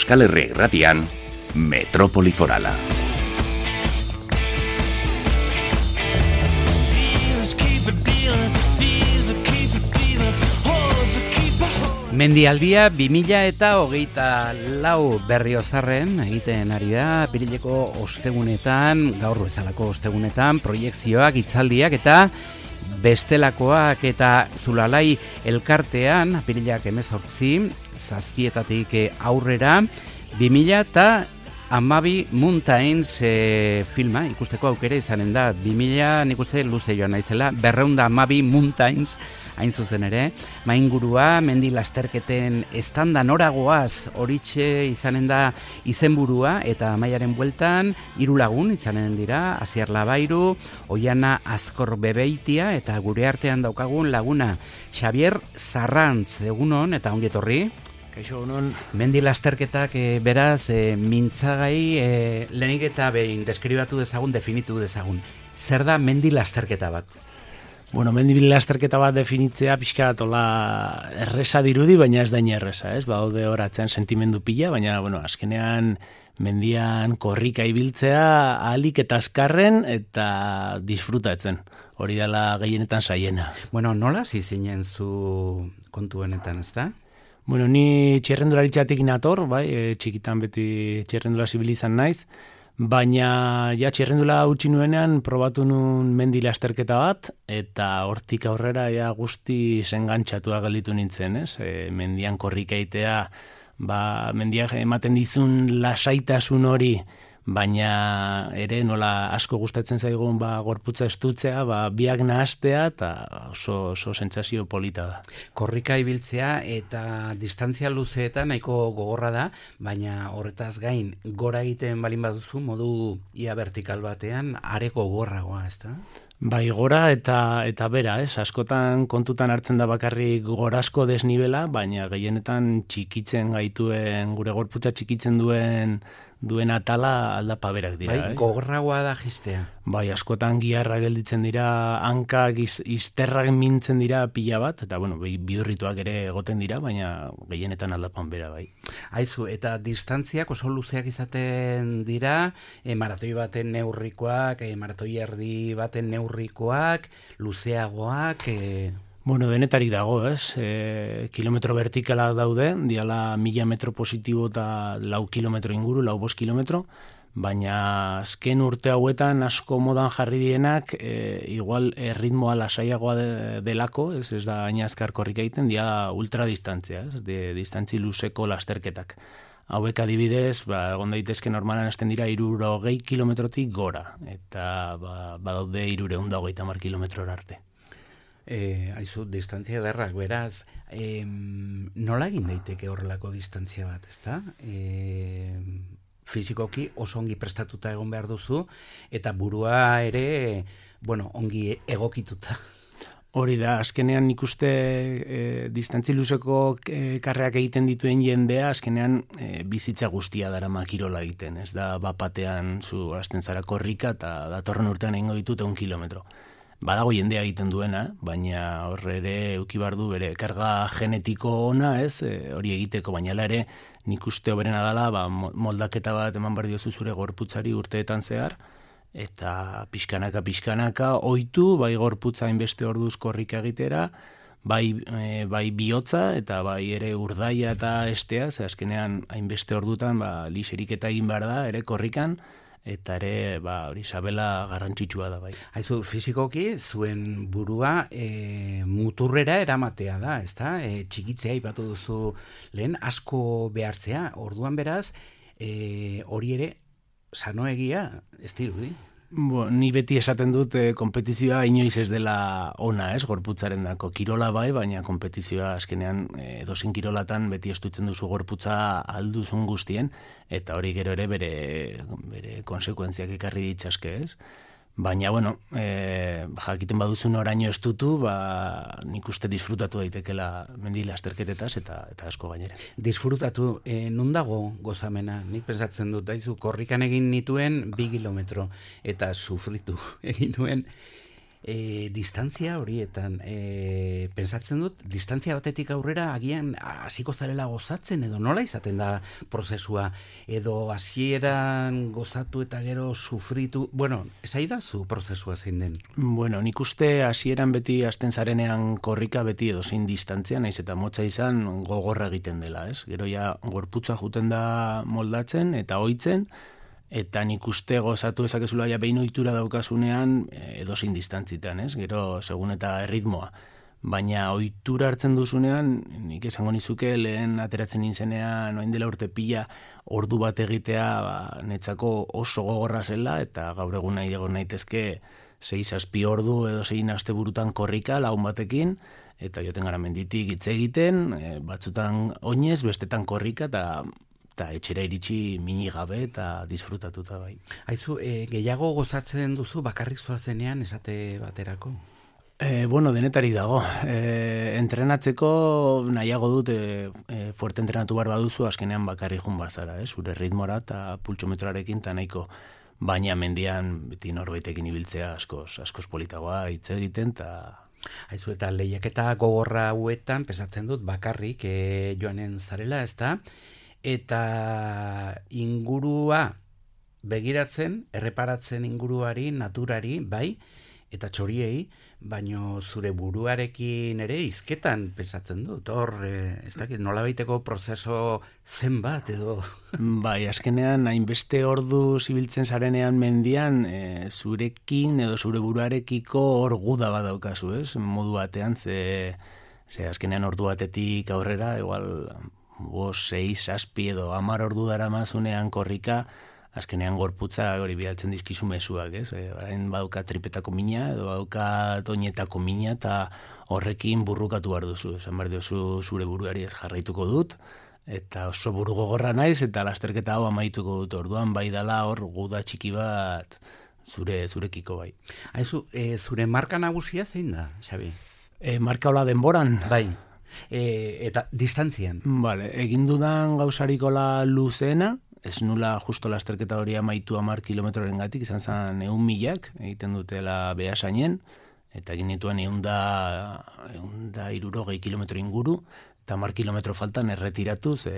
Euskal Herria Irratian, Metrópoli Forala. Mendialdia 2024 Berriozarren egiten ari da, apirileko ostegunetan, gaur bezalako ostegunetan, proiekzioak, hitzaldiak eta bestelakoak, eta Zulalai elkartean, apirilak 18, zazpietatik aurrera, 2012 Mountains filma ikusteko aukera izanen da. 2000 nik uste luze joan naizela, 212 Mountains hain zuzen ere, maingurua, mendi lasterketen estanda noragoaz horitxe izanen da izenburua, eta Amaiaren bueltan 3 lagun izanen dira, Asier Labairu, Oiana Azkor Bebeitia, eta gure artean daukagun laguna Xavier Zarrantz. Egunon eta ongi etorri. Kaixo, egunon. Mendi lasterketak beraz mintzagai lehenik eta behin deskribatu dezagun, definitu dezagun. Zer da mendi lasterketa bat? Bueno, mendi lasterketa bat definitzea pixka tola erresa dirudi, baina ez da erresa, ez? Baude horatzen sentimendu pila, baina bueno, azkenean mendian korrika ibiltzea ahalik eta azkarren eta disfrutatzen. Hori dela gehienetan saiena. Bueno, nola zizinen zu kontuenetan, ez da? Bueno, ni txirrendularitzatik nator, bai, txikitan beti txirrendula zibil izan naiz, baina ja txirrendula utzi nuenean probatu nun mendi lasterketa bat, eta hortik aurrera ja guzti engantxatua gelditu nintzen, ez? Mendian korrika egitea, mendiak ematen dizun lasaitasun hori, baina ere nola asko gustatzen zaigun gorputza estutzea, biak nahastea, eta oso sentsazio polita da. Korrika ibiltzea eta distantzia luzeetan nahiko gogorra da, baina horretaz gain gora egiten balin baduzu modu ia vertikal batean areko gogorragoa, ez da? Bai, gora eta bera, ez? Askotan kontutan hartzen da bakarrik gorazko desnibela, baina gehienetan txikitzen gaituen, gure gorputza txikitzen duen atala aldapa berak dira. Bai, gogorragoa da jistea. Bai, askotan giharra gelditzen dira, hankak izterrak mintzen dira pila bat, eta bueno, bidurrituak ere egoten dira, baina gehienetan aldapan bera, bai. Aizu, eta distantziak oso luzeak izaten dira, maratoi baten neurrikoak, maratoi erdi baten neurrikoak, luzeagoak... Bueno, denetarik dago, ez? Kilometro vertikala daude, diala 1000 metro positibo eta 4 kilometro inguru, 5 kilometro, baina azken urte hauetan asko modan jarri dienak, igual ritmoa lasaiagoa delako, ez da hain azkar korrika egiten, dia ultradistantzia, ez? Distantzi luzeko lasterketak. Hauek adibidez, egon daitezke normalan hasten dira 320 kilometrotik gora, eta badaude 330 kilometrora arte. Aizu, distantzia derrak, beraz, nola egin daiteke horrelako distantzia bat, ezta? Fizikoki oso ongi prestatuta egon behar duzu, eta burua ere, bueno, ongi egokituta. Hori da, azkenean nik uste distantzi luzeko karreak egiten dituen jendea, azkenean bizitza guztia darama kirola egiten, ez da bapatean zu hasten zara korrika eta datorren urtean egingo ditut 1 kilometro. Badago jendea egiten duena, baina horre ere eukibar du bere karga genetiko ona, ez, hori egiteko, baina ere nik uste hoberena dela, moldaketa bat eman behar diozu zure gorputzari urteetan zehar, eta pixkanaka ohitu, bai gorputza hainbeste orduz korrika egitera, bai bihotza eta bai ere urdaia eta estea, ze azkenean hainbeste ordutan liserik eta egin behar da, ere korrikan, eta ere, hori sabela garrantzitsua da, bai. Haizu, fizikoki, zuen burua muturrera eramatea da, ezta? Txikitzea ipatu duzu lehen, asko behartzea, orduan beraz, hori ere, sanoegia, ez dirudi? Ni beti esaten dut konpetizioa inoiz ez dela ona, ez, gorputzaren dako. Kirola bai, baina konpetizioa azkenean edozein kirolatan beti estutzen duzu gorputza alduzun guztien, eta hori gero ere bere konsekuentziak ekarri ditzaske, ez? Baina, bueno, jakiten baduzun oraino estutu, nik uste disfrutatu daitekela mendi lasterketetaz eta asko gainera. Disfrutatu, non dago gozamena? Nik pensatzen dut, daizu, korrikan egin nituen 2 kilometro, eta sufritu egin nuen distantzia horietan, pensatzen dut, distantzia batetik aurrera agian hasiko zarela gozatzen, edo nola izaten da prozesua, edo hasieran gozatu eta gero sufritu, bueno, esaidazu prozesua zein den? Bueno, nik uste hasieran beti hasten zarenean korrika beti edo zein distantzia, naiz eta motza izan gogorra egiten dela, ez? Gero ja gorputza juten da moldatzen eta ohitzen, eta nik uste gozatu ezakezula ja behin ohitura daukasunean edozein distantzitan, ez? Gero segun eta erritmoa. Baina ohitura hartzen duzunean, nik esango nizuke lehen ateratzen nintzenean orain dela urte pila ordu bat egitea netzako oso gogorra zela, eta gaur egun nahi egon naitezke 6-7 ordu edo 6 asteburutan korrika lagun batekin, eta joten gara menditik hitz egiten, batzutan oinez, bestetan korrika, eta etxera iritsi mini gabe eta disfrutatuta bai. Aizu, gehiago gozatzen duzu bakarrik zoazenean esate baterako? Bueno, denetari dago. Entrenatzeko nahiago dut fuerte entrenatu behar baduzu, azkenean bakarrik jun barzara, zure ritmora eta pultsometroarekin eta nahiko. Baina mendian beti norbaitekin ibiltzea askoz politagoa hitz egiten eta... Aizu, eta lehiaketa gogorra hauetan pesatzen dut bakarrik joanen zarela, ezta? Eta ingurua begiratzen, erreparatzen inguruari, naturari, bai, eta txoriei, baino zure buruarekin ere hizketan pesatzen dut. Hor, ez dakit, nolabaiteko prozeso zenbat edo... Bai, azkenean, hainbeste ordu zibiltzen zarenean mendian, zurekin edo zure buruarekiko hor guda bat daukazu, ez? Modu batean, ze azkenean ordu batetik aurrera, igual... 6-7 edo 10 ordu daramazunean korrika, azkenean gorputza hori bidaltzen dizkizu mezuak, ez? Orain badauka tripetako mina edo badauka toinetako mina eta horrekin burrukatu behar duzu. Esan behar duzu zure buruari ez jarraituko dut, eta oso buru gogorra naiz eta lasterketa hau amaituko dut. Orduan bai dala hor guda txiki bat zurekiko bai. Aizu, zure marka nagusia zein da, Xabi? Marka hola denboran? Bai. Eta distantzian. Vale, egin dudan gauzarikola luzeena, ez nula justo lasterketa hori amaitu 10 kilometroren gatik, izan zen 100.000 egiten dutela Beasainen, eta egin nituen 160 kilometro inguru, eta 10 kilometro faltan erretiratuz,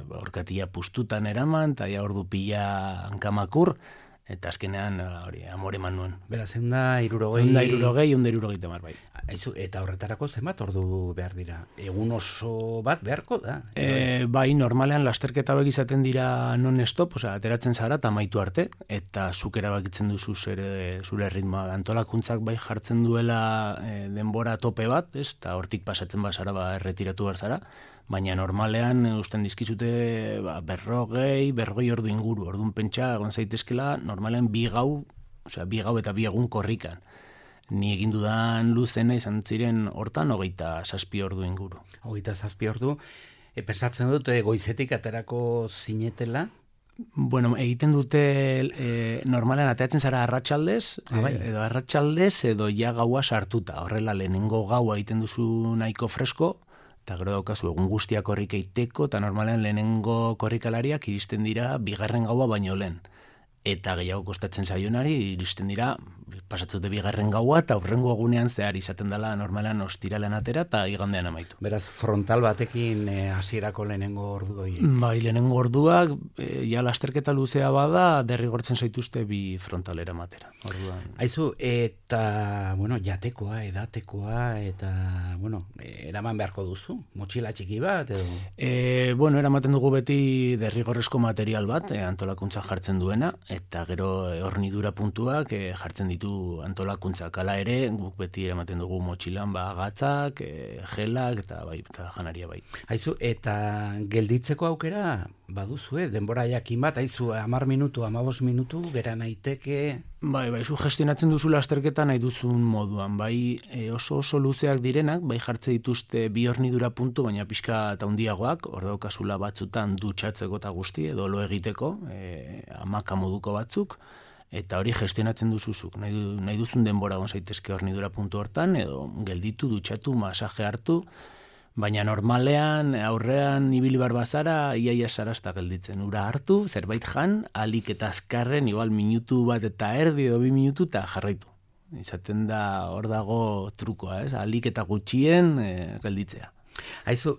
orkatia pustutan eraman, eta ja ordu pila hankamakur, eta azkenean hori amore eman nuen. Beraz, 160 bai. Aizu, eta horretarako zenbat ordu behar dira? Egun oso bat beharko da? Bai, normalean lasterketa hauek izaten dira non-stop, ateratzen zara eta amaitu arte, eta zuk erabakitzen duzu zure ritmoa. Antolakuntzak bai jartzen duela denbora tope bat, eta hortik pasatzen bazara erretiratu behar zara, baina normalean usten dizkizute berrogei ordu inguru. Orduan pentsa egon zaitezkela normalean 2 gau eta 2 egun korrikan. Ni egin dudan luzena izan ziren hortan 27 ordu inguru. 27 ordu, pesatzen dut goizetik aterako zinetela? Bueno, egiten dute normalean ateratzen zara arratsaldez, edo arratsaldez edo ja gaua sartuta. Horrela lehenengo gaua egiten duzu nahiko fresko, eta gero daukazu egun guztiak korrika iteko, eta normalean lehenengo korrikalariak iristen dira 2. gaua baino lehen. Eta gehiago kostatzen zaionari iristen dira, pasatzute 2. gaua, eta aurrengo egunean zehar izaten dela normalean ostiralean atera eta igandean amaitu. Beraz, frontal batekin hasierako lehenengo ordu horiek. Bai, lehenengo orduak, ja lasterketa luzea bada, derrigortzen zaituzte 2 frontalera matera. Orduan. Aizu, eta, bueno, jatekoa, edatekoa, eta, bueno, eraman beharko duzu? Motxila txiki bat, edo? Bueno, eramaten dugu beti derrigorrezko material bat, antolakuntza jartzen duena, eta gero hornidura puntuak jartzen ditu antolakuntzak. Hala ere, guk beti eramaten dugu motxilan gatzak, gelak, eta janaria bai. Aizu, eta gelditzeko aukera baduzu, denbora jakin bat, aizu, 10 minutu, 15 minutu, gera naiteke... Bai, zu gestionatzen duzu lasterketa nahi duzun moduan, bai oso luzeak direnak, bai jartze dituzte 2 hornidura puntu, baina pixka eta handiagoak, hor daukazula batzutan dutxatzeko eta guzti, edo lo egiteko, hamaka moduko batzuk, eta hori gestionatzen duzuzuk. Nahi duzun denbora gon zaitezke hornidura puntu hortan, edo gelditu, dutxatu, masaje hartu, baina normalean, aurrean ibili bar bazara, iaia sarazta gelditzen. Ura hartu, zerbait jan, alik eta azkarren, igual minutu bat eta erdi edo 2 minutu eta jarraitu. Izaten da hor dago trukoa, ez? Alik eta gutxien gelditzea. Haizu,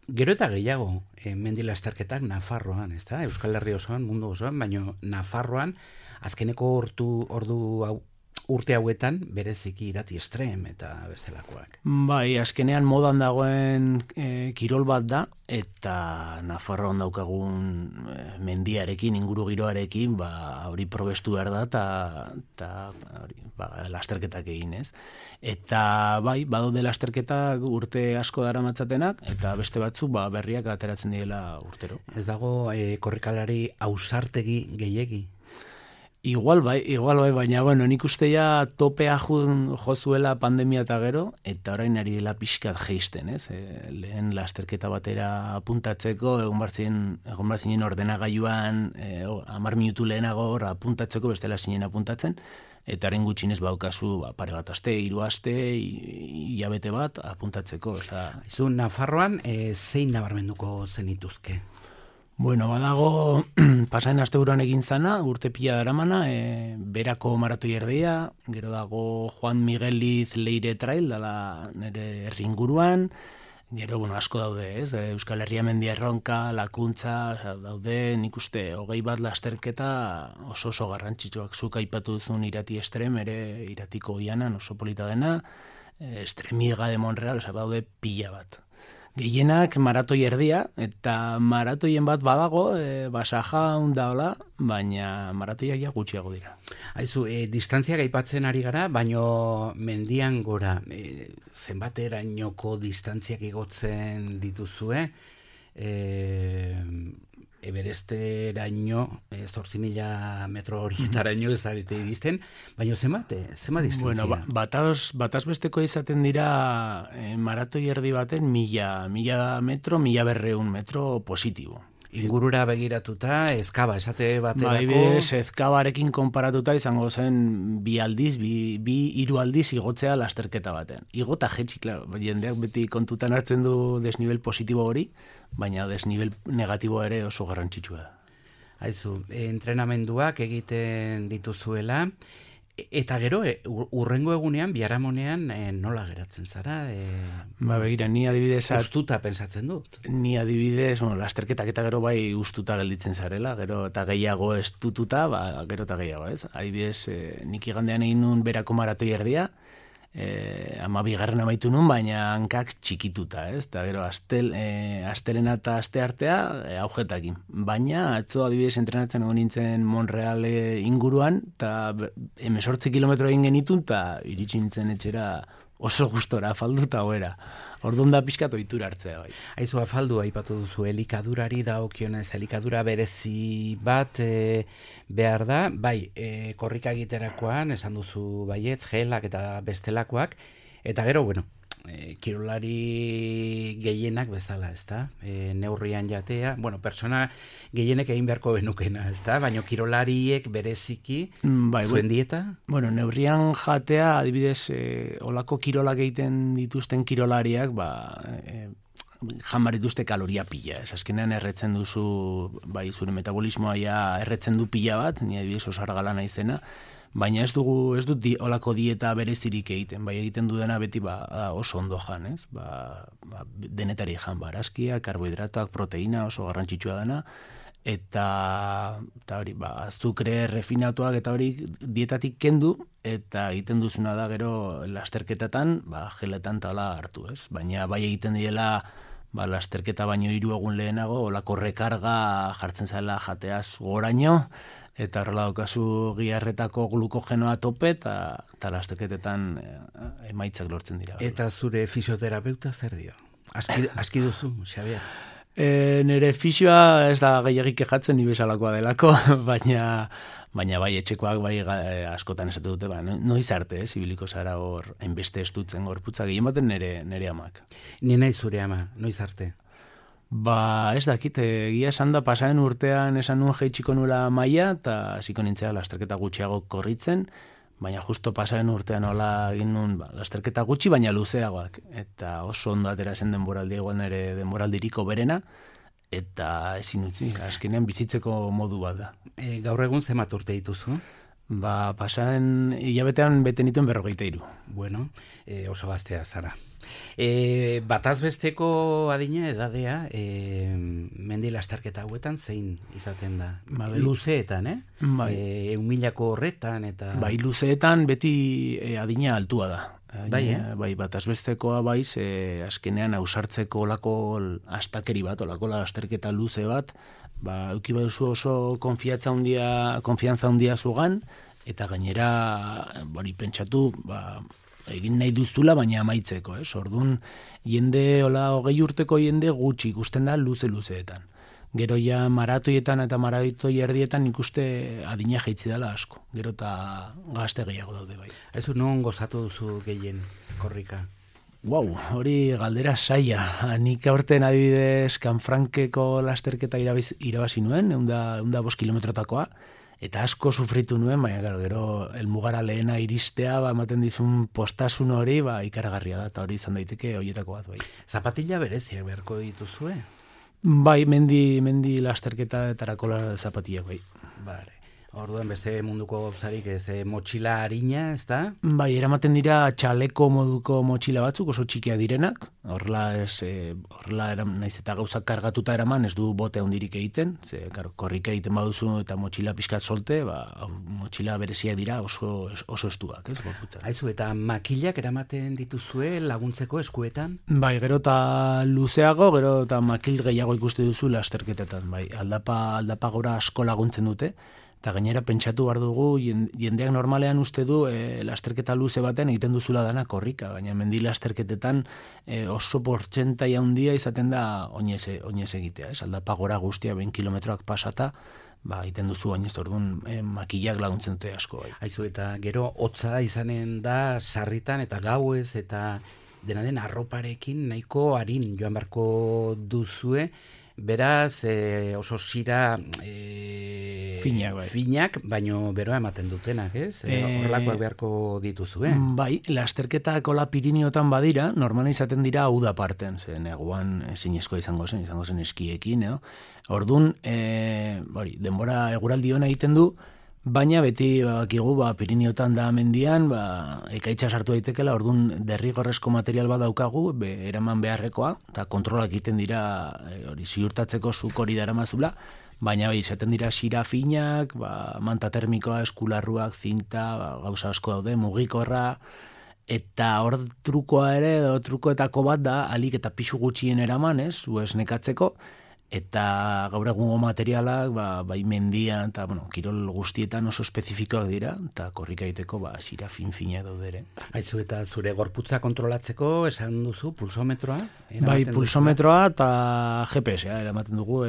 gero eta gehiago mendi lasterketak Nafarroan, ez da? Euskal Herri osoan, mundu osoan, baina Nafarroan azkeneko urte hauetan bereziki Irati Estrem eta bestelakoak. Bai, azkenean modan dagoen kirol bat da, eta Nafarroan daukagun mendiarekin, inguru giroarekin, hori probestu behar da, eta lasterketak egin, ez? Eta bai, badaude lasterketak urte asko daramatzatenak, eta beste batzuk berriak ateratzen direla urtero. Ez dago korrikalari ausartegi gehiegi? Igual bai, baina nik uste ja topea jozuela pandemia eta gero, eta orain ari dela pixkat jeisten, ez? Lehen lasterketa batera apuntatzeko, egon barzinen ordenagailuan 10 minutu lehenago apuntatzeko, bestela zinen apuntatzen, eta haren gutxinez baukazu pare bat aste, 3 aste, hilabete bat apuntatzeko. Izu, Nafarroan zein nabarmenduko zenituzke? Bueno, badago pasaen asteburuan egin zana, urte pila daramana, berako maratoi erdia, gero dago Juan Migueliz Leire Trail, dala nire herri inguruan, gero, asko daude, ez? Euskal Herria mendia erronka, lakuntza, daude, nik uste, 20 bat lasterketa oso garrantzitsuak. Zuk aipatu duzun Irati Estrem, ere Iratiko Oianan oso polita dena, Estremiga de Monreal, daude pila bat. Gehienak maratoi erdia, eta maratoien bat badago, basaja daola, baina maratoiak ja gutxiago dira. Haizu, distantziak aipatzen ari gara, baino mendian gora, zenbaterainoko distantziak igotzen dituzue, Everesteraino, 8.000 metro horietaraino ez zarete iristen, baina zenbat distantzia? Bueno, bataz besteko izaten dira maratoi erdi baten 1.000 metro, 1.200 metro positibo. Ingurura begiratuta, ezkaba, esate baterako... Bai, ezkabarekin konparatuta izango zen 2 aldiz igotzea lasterketa baten. Igota jetxi, klaro, jendeak beti kontutan hartzen du desnivel positibo hori, baina desnivel negatibo ere oso garrantzitsua da. Haizu, entrenamenduak egiten dituzuela, eta gero, urrengo egunean, biharamonean, nola geratzen zara? Begira, ni adibidez... Ustuta pensatzen dut. Ni adibidez, lasterketak eta gero bai ustuta gelditzen zarela, gero eta gehiago estututa, gero eta gehiago, ez? Adibidez, nik igandean egin nun berako maratoi erdia, 12. amaitu nun, baina hankak txikituta, ez? Eta gero, astelena eta aste artea, aujetakin. Baina, atzo adibidez entrenatzen egon nintzen Monreal inguruan, eta 18 kilometro egin genitun, eta iritsi nintzen etxera oso gustora, afalduta goera. Orduan da pixkat ohitura hartzea bai. Haizu, afaldu aipatu duzu, elikadurari dagokionez, elikadura berezi bat behar da, bai, korrika egiterakoan, esan duzu baietz, gelak eta bestelakoak, eta gero, kirolari gehienak bezala, ezta? Neurrian jatea, persona gehienek egin beharko benukena, ezta? Baina kirolariek bereziki zuen dieta? Neurrian jatea, adibidez, olako kirolak egiten dituzten kirolariak, jan dituzte kaloria pila. Ez azkenean erretzen duzu, zure metabolismoa ja erretzen du pila bat, ni adibidez oso argala naizena, baina ez dut olako dieta berezirik egiten, egiten dudana beti oso ondo jan, ez? Denetari jan, barazkia, karbohidratoak, proteina oso garrantzitsua dena, eta hori, azukre refinatuak eta hori dietatik kendu, eta egiten duzuna da gero lasterketatan, geletan tala hartu, ez? Baina egiten diela lasterketa baino 3 egun lehenago, olako rekarga jartzen zaila jateaz goraino, eta horrela daukazu giharretako glukogenoa tope, eta lasterketetan emaitzak lortzen dira. Eta zure fisioterapeuta zer dio? Aski duzu, Xabier? Nire fisioa ez da gehiagik kejatzen ni bezalakoa delako, baina bai etxekoak askotan esatu dute, noiz arte, ibiliko zara hor hainbeste estutzen gorputza, gehien baten nire amak. Ni nahi zure ama, noiz arte? Ez dakit, egia esan da pasaren urtean esan nuen jeitxiko nula maila, eta hasiko nintzea lasterketa gutxiago korritzen, baina justo pasaren urtean hola egin nuen lasterketa gutxi, baina luzeagoak. Eta oso ondo atera zen denboraldi, igual nire denboraldiriko berena, eta ezin utzi, azkenean bizitzeko modu bat da. Gaur egun zenbat urte dituzu? Pasaren hilabetean bete nituen 43. Bueno, oso gaztea zara. Bataz besteko adina edadea, mendi lasterketa hauetan zein izaten da? Luzeetan, Bai. 1000ko horretan eta... Bai, luzeetan beti adina altua da. Bai, bataz bestekoa baiz, azkenean ausartzeko olako astakeri bat, olako lasterketa luze bat, euki baduzu oso konfiantza handia zugan, eta gainera, pentsatu, egin nahi duzula, baina amaitzeko, Orduan, jende, 20 urteko jende gutxi ikusten da luzeetan. Gero ja maratoietan eta maratoi erdietan ikuste adina jaitzi dela asko. Gero eta gazte gehiago daude bai. Ez non gozatu duzu gehien korrika? Hori galdera saia. Nik aurten adibidez Kanfrankeko lasterketa irabazi nuen, 105 kilometrotakoa, eta asko sufritu nuen, baina gero helmugara lehena iristea, ematen dizun postasun hori, ikaragarria da, eta hori izan daiteke horietako bat bai. Zapatilla bereziak beharko dituzue? Bai, mendi lasterketarako zapatilla bai. Bare. Orduan beste munduko gauzarik ez motxila harina, ez da? Bai, eramaten dira txaleko moduko motxila batzuk, oso txikia direnak. Horrela naiz eta gauzak kargatuta eraman, ez du bote handirik egiten. Korrika egiten baduzu eta motxila pixkat solte, motxila berezia dira oso estuak, ez? Aizu, eta makilak eramaten dituzue laguntzeko eskuetan? Bai, gero eta luzeago, gero eta makil gehiago ikuste duzu lasterketetan. Bai, aldapa gora asko laguntzen dute. Eta gainera pentsatu behar dugu, jendeak normalean uste du lasterketa luze baten egiten duzula dana korrika, baina mendi lasterketetan oso portzentai handia izaten da oinez egitea. Aldapa gora guztia 20 kilometroak pasata, egiten duzu oinez, orduan makillak laguntzen dute asko. Bai. Aizu, eta gero hotza izanen da sarritan eta gauez eta dena den arroparekin nahiko harin joan beharko duzue, beraz oso zira finak, baino beroa ematen dutenak, ez? Horrelakoak beharko dituzue. Bai, lasterketak ola Piriniotan badira, normala izaten dira uda parten, neguan ezinezko izango zen eskiekin, Orduan, denbora eguraldi hona egiten du, baina beti bakigu Piriniotan da mendian, ekaitza sartu daitekela, orduan derrigorrezko material bat daukagu, eraman beharrekoa, eta kontrolak egiten dira ziurtatzeko zuk hori daramazula, baina izaten dira sira finak, manta termikoa, eskularruak, zinta, gauza asko daude, mugikorra, eta hor trukoa ere, trukoetako bat da, alik eta pixu gutxien eraman, zu esnekatzeko, eta gaur egungo materialak bai mendian eta kirol guztietan oso espezifikoak dira eta korrika egiteko sira fin-fina daude ere. Aizu, eta zure gorputza kontrolatzeko esan duzu pulsometroa? Bai, pulsometroa eta GPS-a eramaten dugu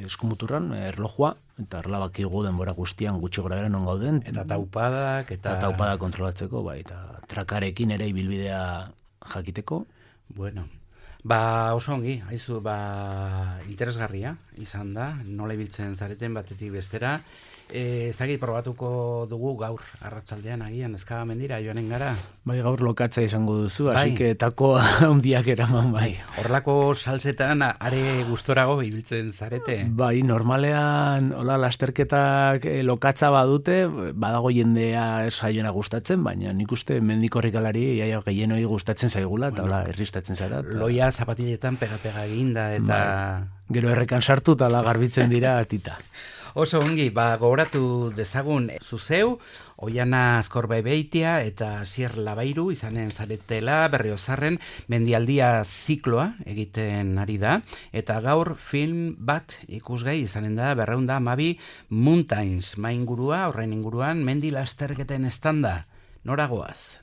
eskumuturran, erlojua, eta horrela bakigu denbora guztian gutxi gora bera non gauden. Eta taupadak, eta taupadak kontrolatzeko, eta trakarekin ere ibilbidea jakiteko. Bueno, oso ongi, haizu, interesgarria izan da, nola ibiltzen zareten batetik bestera. Ez dakit probatuko dugu gaur arratsaldean agian ezka mendira joanen gara. Bai, gaur lokatza izango duzu, así que tako handiak eraman bai. Horrelako salsetan are gustorago ibiltzen zarete? Bai, normalean hola lasterketak lokatza badute, badago jendea saioena gustatzen, baina nik uste mendi korrikalari iaia gehienoi gustatzen zaigula eta hola erristatzen zara. Loia zapatiletan pega eginda eta gero errekan sartu eta garbitzen dira tita. Oso ongi, gogoratu dezagun zuzeu, Oiana Azkorbebeitia eta Asier Labairu izanen zaretela Berriozarren mendialdia zikloa egiten ari da, eta gaur film bat ikusgai izanen da 212 Mountains maingurua, horrein inguruan mendi lasterketen estanda. Noragoaz,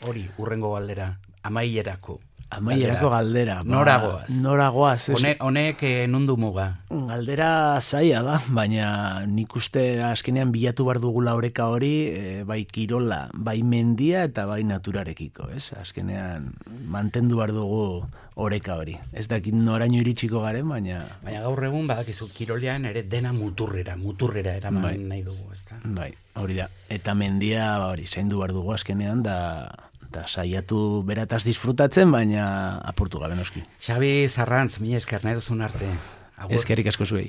hori urrengo galdera, amaierako galdera. Noragoaz. Honek nundu muga? Galdera zaila da, baina nik uste azkenean bilatu behar dugula oreka hori, bai kirola, bai mendia eta bai naturarekiko, ez? Azkenean mantendu behar dugu oreka hori. Ez dakit noraino iritsiko garen, baina... Baina gaur egun badakizu kirolean ere dena muturrera eraman nahi dugu, ez da? Bai, hori da. Eta mendia, zaindu behar dugu azkenean, eta saiatu berataz disfrutatzen, baina apurtu gabe noski. Xabi Zarrantz, mila esker nahi duzun arte. Eskerrik asko zuei.